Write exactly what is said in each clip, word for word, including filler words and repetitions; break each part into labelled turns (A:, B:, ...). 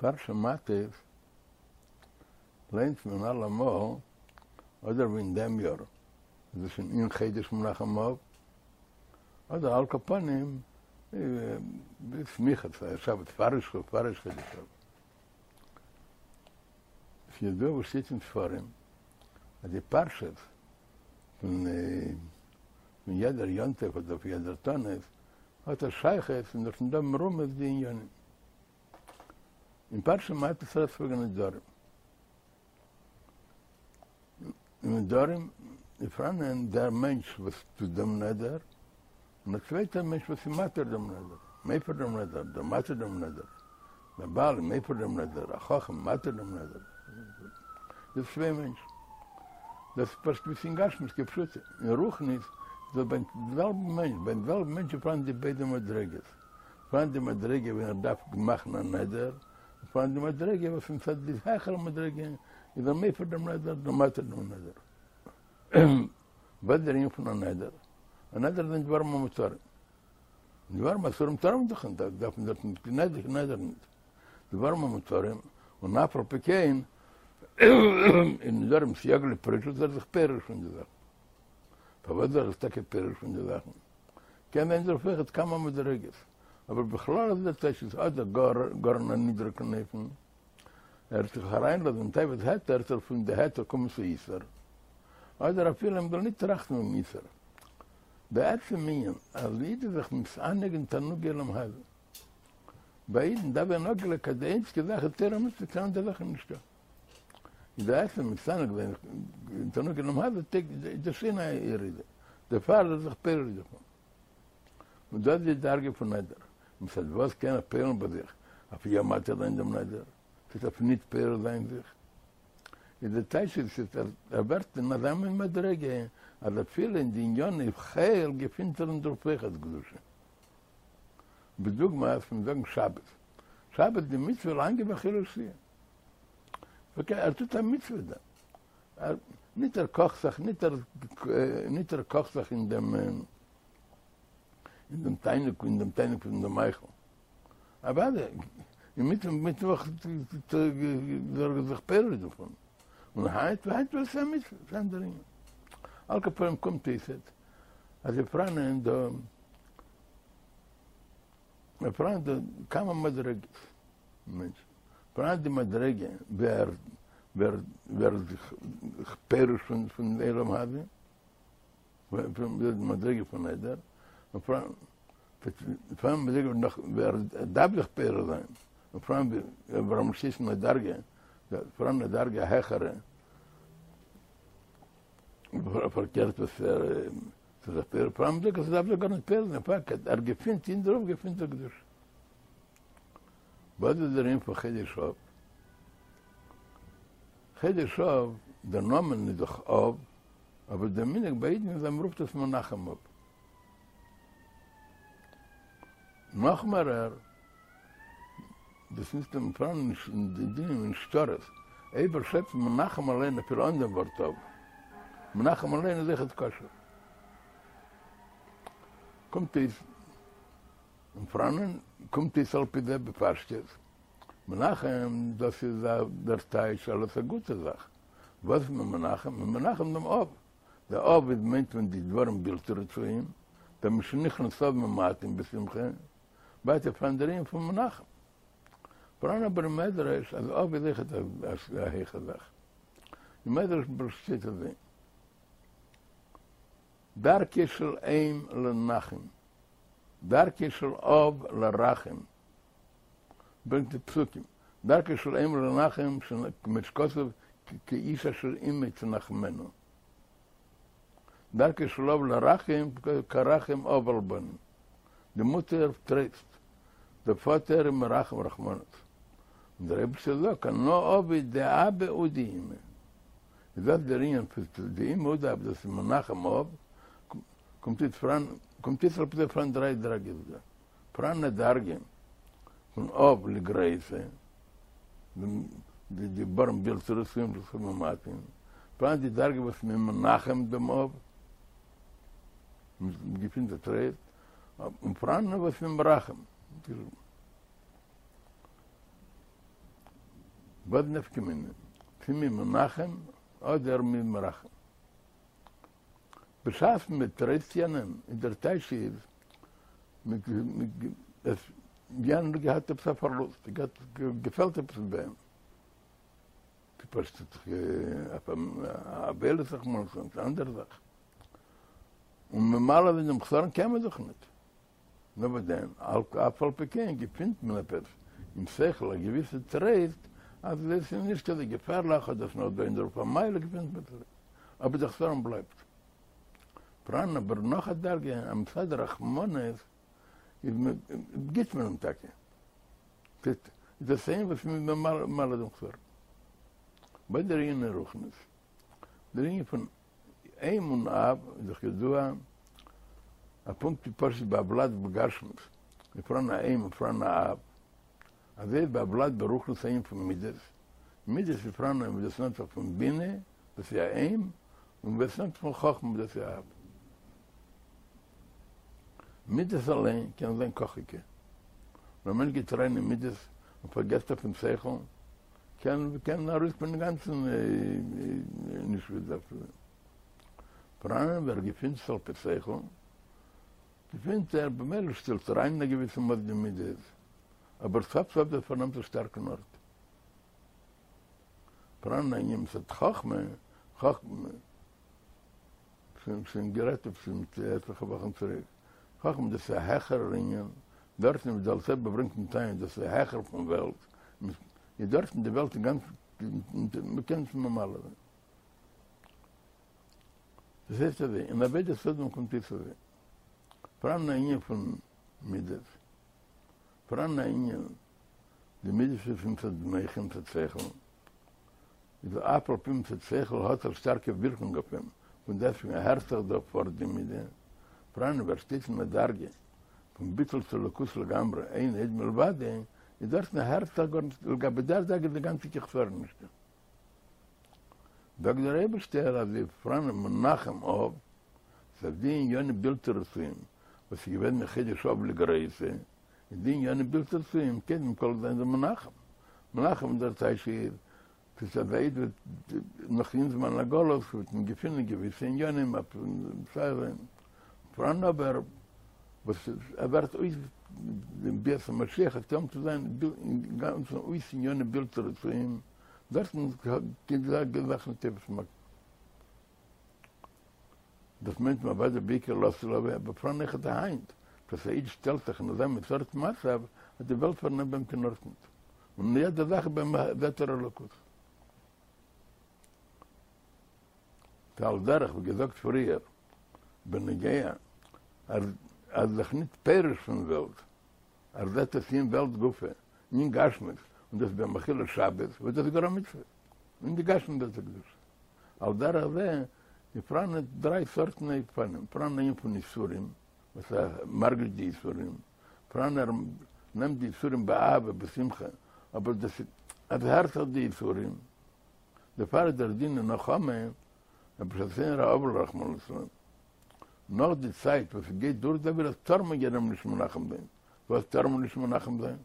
A: פרשת מטות ליינט מען אלעמאל, אדער ווי אין דעם יאר איז עס שוין אין חודש מנחם אב, אדער על כל פנים בסמיכות שבת פאר ראש חודש אב. ס'איז ידוע וואס שטייט אין ספרים אז די פרשות פון יעדער יום טוב אדער פון יעדער תענית האט א שייכות און דארטן דא מרומז די עניינים. אין פרשת מטות רעדט זיך וועגן נדרים. אין נדרים איז פאראנען דער מענטש וואס טוט דעם נדר, און א צווייטער מענטש וואס איז מתיר דעם נדר, מפר דעם נדר, דער מתיר דעם נדר, דער בעל מפר דעם נדר, א חכם מתיר דעם נדר. דאס איז צוויי מענטשן. דאס איז פשוט ווי ס'איז אין גשמיות כפשוטו. אין רוחניות איז דאס ביים זעלבן מענטש, ביים זעלבן מענטש איז פאראן די ביידע מדריגות. פאראן די מדריגה ווען ער דארף מאכן א נדר, און פאראן די מדריגה וואס מצד די העכערע מדריגה איז ער מפר דעם נדר, דער מתיר דעם נדר. וואס איז דער ענין פון א נדר? א נדר זענען דברים המותרים. דברים אסורים טאר מען דאך נישט, דארף מען דארט נישט קיין נדר, קיין נדר נישט. דברים המותרים, און אף על פי כן, אין נדרים סייג לפרישות איז ער זיך פורש פון די זאכן. פארוואס איז ער זיך טאקע פורש פון די זאכן? קען זיין דערויף אויכעט כמה מדריגות, אבער בכלל איז דער טייטש איז אדער גאר גאר אין א נידריגן אופן, ער וועט זיך אריינלאזן אין תאוות היתר, וועט ער פון די היתר קומען צו איסור, אדער אפילו מען זאל ניט טראכטן וועגן איסור. בעצם ענין אז א איד איז זיך מתענג אין תענוגי עולם הזה. ביי אידן דארף זיין אפגעלייגט אז די איינציגע זאך איז תורה ומצוות קיין אנדערע זאך איז נישטא. איז די עצם מתענג זיין אין תענוגי עולם הזה איז דאס שוין א ירידה. דערפאר איז ער זיך פורש דערפון. און דאס איז די דרגה פון נדר. מצד וואס קען ער פועל'ן ביי זיך אויף יא מתיר זיין דעם נדר, ס'הייסט אויף ניט פורש זיין זיך. איז די טייטש איז אז ער ווערט אין אזא מין מדריגה אז אפילו אין די ענייני חול געפינט ער אין דערויף אויכעט קדושה. בדוגמא פון זאגן שבת. שבת די מצוה לאנגע באכילה ושתיה. אקעי, ער טוט א מצוה דא. ניט ער קאכט זיך, ניט ער, ניט ער קאכט זיך אין דעם, אין דעם תענוג, אין דעם תענוג פון דעם מאכל. אוודאי, אין מיטן מיטוואך איז ער זיך פורש דערפון. און היינט, היינט ווייל ס'איז א מצוה, ס'איז אן אנדער ענין. על כל פנים קומט אויס אז ס'איז פאראנען דא, פאראן דא כמה מדרגות מענטשן. פאראן די מדרגה ווי ער ווערט זיך פורש פון פון עולם הזה, פון די מדרגה פון נדר, און פאראן פאראן מדרגה נאך ווי ער דארף זיך פורש זיין, און פאראן ווי ער שטייט אין א דרגה, פאראן א דרגה העכערע, פארקערט וואס ער איז זיך פורש, פאראן מדרגה וואס ער דארף זיך גארנישט פורש זיין, פארקערט ער געפינט אין דערויף געפינט ער קדושה. וואס איז דער ענין פון חודש אב? חודש אב, דער נאמען איז דאך אב, אבער דער מנהג ביי אידן איז אז מען רופט עס מנחם אב. נאך מערער, דאס נישט אין פאראן נישט אין די דינים אין שטרות, אויב ער שרייבט מנחם אליין אפילו אן דעם ווארט אב, מנחם אליין איז אויכעט כשר. קומט אויס. און פאראנען קומט אויס על פי זה בפשטות, מנחם דאס איז דער טייטש אלס א גוטע זאך, וואס איז מען מנחם? מען מנחם דעם אב, דער אב איז מיינט מען די דברים בלתי רצויים, דער משנכנס אב ממעטין בשמחה, ווייטער פאראן דער ענין פון מנחם. פאראן אבער אין מדרש אז אב איז אויכעט א הייכע זאך, אין מדרש שטייט אזוי. דרכו של אם לנחם, דרכו של אב לרחם, ברענגט די פסוקים, דרכו של אם לנחם, כמו שכתוב כאיש אשר אמו תנחמנו, דרכו של אב לרחם, כרחם אב על בנים, די מוטער טרייסט, דער פאטער איז מרחם רחמנות, און דער אייבערשטער זאגט אנא עביד דאבא ודאמא. איז דאס דער ענין פון דאמא ודאבא דאס איז מנחם אב, קומט אויס פאראן קומט אויס על פי זה פאראן דריי דרגות דא, פאראן א דרגה פון אב לגריעותא, די דברים בלתי רצויים וואס איז ממעטין, פאראן די דרגה וואס מען מנחם דעם אב, מען געפינט א טרייסט, און פאראן וואס מען מרחם. וואס נפקא מינה? צו מ'איז מנחם אדער מ'איז מרחם? בשעת מען טרייסט יענעם איז דער טייטש איז עס יענער האט געהאט עפעס א פארלוסט, געהאט געפעלט עפעס ביי אים, פארשטייט זיך אויף א אבילות רחמנא ליצלן, ס'איז א אנדערע זאך, און ממלא זיין דעם חסרון קען מען דאך ניט. נאר וואס דען, אף על פי כן געפינט מען עפעס אין שכל א געוויסע טרייסט אז עס איז נישט אזוי געפערליך אדער עס איז נאך דא אין דערויף א מעלה געפינט מען צוריק, אבער דער חסרון בלייבט. פאראן אבער נאך א דרגה אז מצד רחמנות איז מען גיט מען אים טאקע, איז דאס איין וואס מ'איז ממלא דעם חסרון. ביי דער ענין אין רוחניות, דער ענין פון אם און אב איז דאך ידוע אז פונקט ווי פשוט ביי א ולד בגשמיות איז פאראן א אם און פאראן א אב, אזוי איז ביי א ולד ברוחניות א ענין פון מידות, מידות איז פאראן וואס דאס נעמט זיך פון בינה דאס איז א אם, און וואס נעמט זיך פון חכמה דאס איז א אב. מידות אליין קען זיין קאכיגע, ווען א מענטש גייט אריין אין מידות און פארגעסט אויפן שכל, קען קען ארויסקומען אינגאנצן נישט ווי עס דארף צו זיין. פאראן ווער געפינט זיך על פי שכל, געפינט ער במילא שטעלט אריין אין א געוויסע מאס די מידות, אבער סוף סוף דאס פארנעמט א שטארקן ארט. פאראן א ענין מצד חכמה, חכמה. שוין גערעדט עפעס מיט עטליכע וואכן צוריק, חכמה דאס איז א העכערער ענין, דארטן ווי דער אלטער רבי ברענגט אין תניא דאס איז העכער פון וועלט, איז דארטן די וועלט אינגאנצן מ'קען נישט ממלא זיין. דאס הייסט אזוי, אין עבודת אדם קומט אויס אזוי, פאראן א ענין פון מידות, פאראן א ענין, די מידות איז מצד מוחין מצד שכל, איז אף על פי מצד שכל האט א שטארקע ווירקונג אויף אים, פון דעסטוועגן הערט זיך דא פארט די מידה, פאראן ווער שטייט אין א דרגה פון ביטול צו אלוקות לגמרי אין עוד מלבדו, איז דארטן הערט זיך גארנישט לגבי דער דרגה איז די גאנצע קיין חסרון נישטא. זאגט דער אייבערשטער אז איז פאראן מנחם אב, ס'איז די עניינים בלתי רצויים וואס איז געווען מחודש אב לגריעותא, איז די עניינים בלתי רצויים קודם כל זיין זיי מנחם, מנחם דער טייטש איז ס'איז אז א איד וועט נאך אין זמן הגלות וועט מען געפינען געוויסע עניינים אויף מצער זיין, פאראן אבער וואס ער ווערט אויס דעם ביאת המשיח וועט קומען צו זיין אינגאנצן אויס עניינים בלתי רצויים, דארטן גייט די זאך נישט תופס מקום. דאס מיינט מען אוודאי בעיקר לעתיד לבוא, אבער פאראן אויכעט היינט, וואס א איד שטעלט זיך אין אזא מין סארט מצב אז די וועלט פארנעמט ביי אים קיין ארט ניט, און אין יעדע זאך ביי אים זעט ער אלוקות. ועל דרך ווי געזאגט פריער בנוגע אז ער איז זיך ניט פורש פון וועלט, ער זעט עס אין וועלט גופא, אין גשמיות, און דאס איז ביי אים אכילת שבת, וואס דאס איז גאר א מצוה, אין די גשמיות דאס איז קדושה. על דרך זה איז פאראן דריי סארטן אופנים, פאראן אן ענין פון יסורים, וואס ער מרגיש די יסורים, פאראן ער נעמט די יסורים באהבה בשמחה, אבער דאס איז אז הערט זיך די יסורים, דערפאר איז דער דין אין נחמה, אז בשעת איינער איז אבל רחמנא לצלן, נאך די צייט וואס ס'גייט דורך די אבילות טאר מען יענעם נישט מנחם זיין, וואס טאר מען נישט מנחם זיין?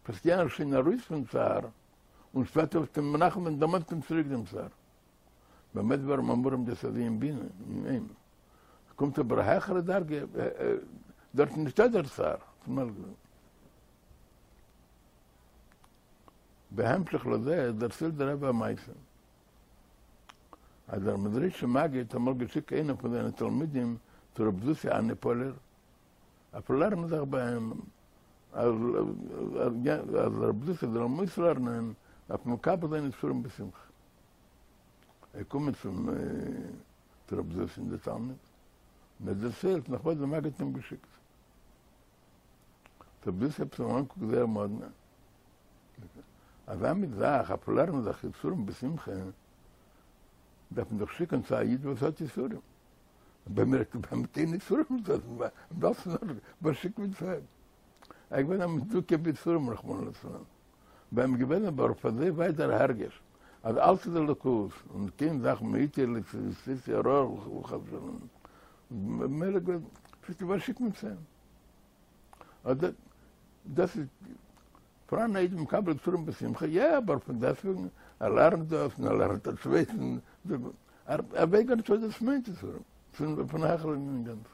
A: וואס יענער איז שוין ארויס פון צער, און שפעטער וועסטו אים מנחם זיין דערמאנסט אים צוריק דעם צער. במה דברים אמורים דאס אזוי אין בינה, אין אם. קומט אבער א העכערע דרגה, דארט איז נישטא דער צער. בהמשך לזה דערציילט דער רבי א מעשה, אז דער מעזריטשער מגיד האט אמאל געשיקט איינעם פון זיינע תלמידים צו רב זושא אניפאלער, אויף לערנען זיך ביי אים, אז רב זושא זאל אים אויסלערנען אויף מקבל זיין יסורים בשמחה. ער קומט צום צו רב זושא דער תלמיד, און ער דערציילט נאך וואס דער מגיד האט אים געשיקט. רב זושא האט אים אנגעקוקט זייער מאדנע. אזא מין זאך אויף לערנען זיך יסורים בשמחה, דארף מען דאך שיקן צו א איד וואס האט יסורים. ביי מיר האט מען קיין יסורים נישט, דאס וואס שיקט מען צו אים? ער איז געווען א מדוכא ביסורים רחמנא לצלן, ביי אים איז געווען אבער אויף אזוי ווייט דער הרגש אז אלץ איז אלוקות און קיין זאך מאתי לא עשיתי הרעה חס ושלום, ממילא געווען פשוט וואס שיקט מען צו אים? אט דאס איז פאראן א איד מקבל יסורים בשמחה, יא, אבער פון דעסטוועגן, ער לערנט דאס און ער לערנט א צווייטן, ער ווייסט גארנישט וואס דאס מיינט יסורים, פון א העכערע ענין אינגאנצן.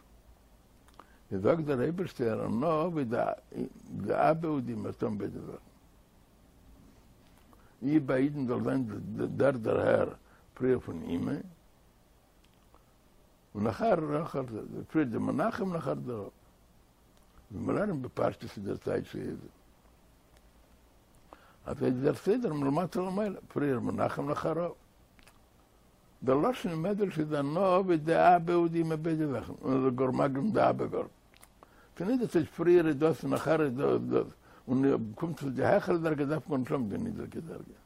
A: איז זאגט דער אייבערשטער, אנא עביד דאבא ודאמא, טון ביידע זאכן. אי ביי אידן זאל זיין דער דערהער פריער פון אימא, און נאכער נאכער פריער די מנחם און נאכער דער אב. ווי מ'לערנט בפשטות איז דער טייטש איז אז איז דער סדר מלמטה למעלה, פריער מנחם נאכער אב. דער לשון אין מדרש איז אנא עביד דאבא ודאמא ביידע זאכן, און ער איז גאר מקדים דאבא גאר. ס'איז נישט דאס הייסט פריער איז דאס און נאכער איז דאס דאס, און קומט צו די העכערע דרגה דארף מען נישט האבן די נידריגע דרגה.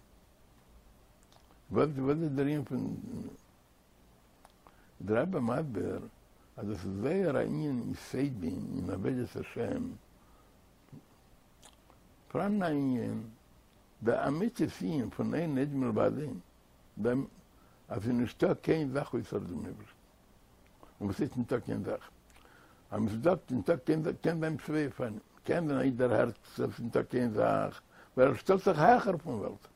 A: וואס איז דער ענין פון דער רבי מסביר אז דאס איז זייער א ענין יסודי אין עבודת השם, פאראן א ענין, די אמיתית ענין פון אין עוד מלבדו, דעם אז ס'איז נישטא קיין זאך אויסער דעם אייבערשטן. און וואס הייסט נישטא קיין זאך? אז מען זאגט נישטא קיין זאך קען זיין צוויי אופנים, קען זיין א איד דערהערט אז ס'איז נישטא קיין זאך ווייל ער שטעלט זיך העכער פון וועלט,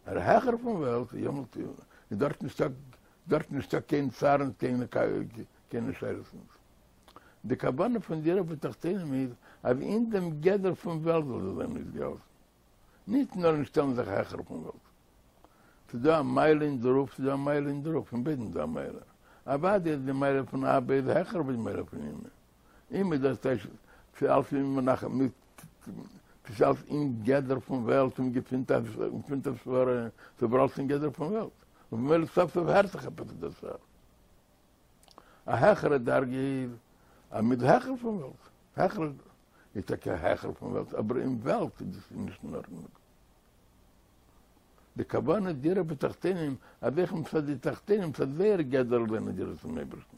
A: ער איז העכער פון וועלט, יעמאלט איז דארט נישטא דארט נישטא קיין צער און קיינע קיינע שאלות נישט. די כוונה פון דירה בתחתונים איז אז אין דעם גדר פון וועלט זאל זיך זיין אויסגעהאלטן. ניט נאָר נישט שטעלן זיך העכער פֿון וועלט. ס'איז דאָ אַ מעלה אין דערויף, ס'איז דאָ אַ מעלה אין דערויף, אין ביידן איז דאָ אַ מעלה. אַוודאי איז די מעלה פֿון אבא איז העכער ווי די מעלה פֿון אמא. אמא איז דאָס טייטש ס'איז אַלץ אין מנחם, ס'איז אַלץ אין גדר פֿון וועלט און געפֿינט אַ געפֿינט אַ סברה, ס'איז אָבער אַלץ אין גדר פֿון וועלט. און במילא סוף-סוף הערט זיך עפּעס דער צער. אַ העכערע דרגה איז אַז מ'איז העכער פֿון וועלט. העכער איז טאקע העכער פון וועלט, אבער אין וועלט איז דאס נישט אין ארדענונג. די כוונה דירה בתחתונים, אז אויך מצד די תחתונים, מצד זייער גדר זיין א דירה צום אייבערשטן.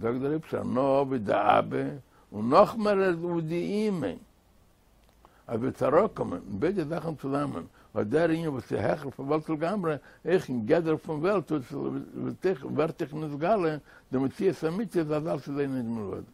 A: זאגט דער אייבערשטער אנא עביד דאבא, און נאכמער ודאמא, אז וועט אראפקומען ביידע זאכן צוזאמען, אט דער ענין וואס איז העכער פון וועלט לגמרי, אויך אין גדר פון וועלט ווערט אויך נתגלה די מציאות האמיתית אז אלץ איז אין עוד מלבדו.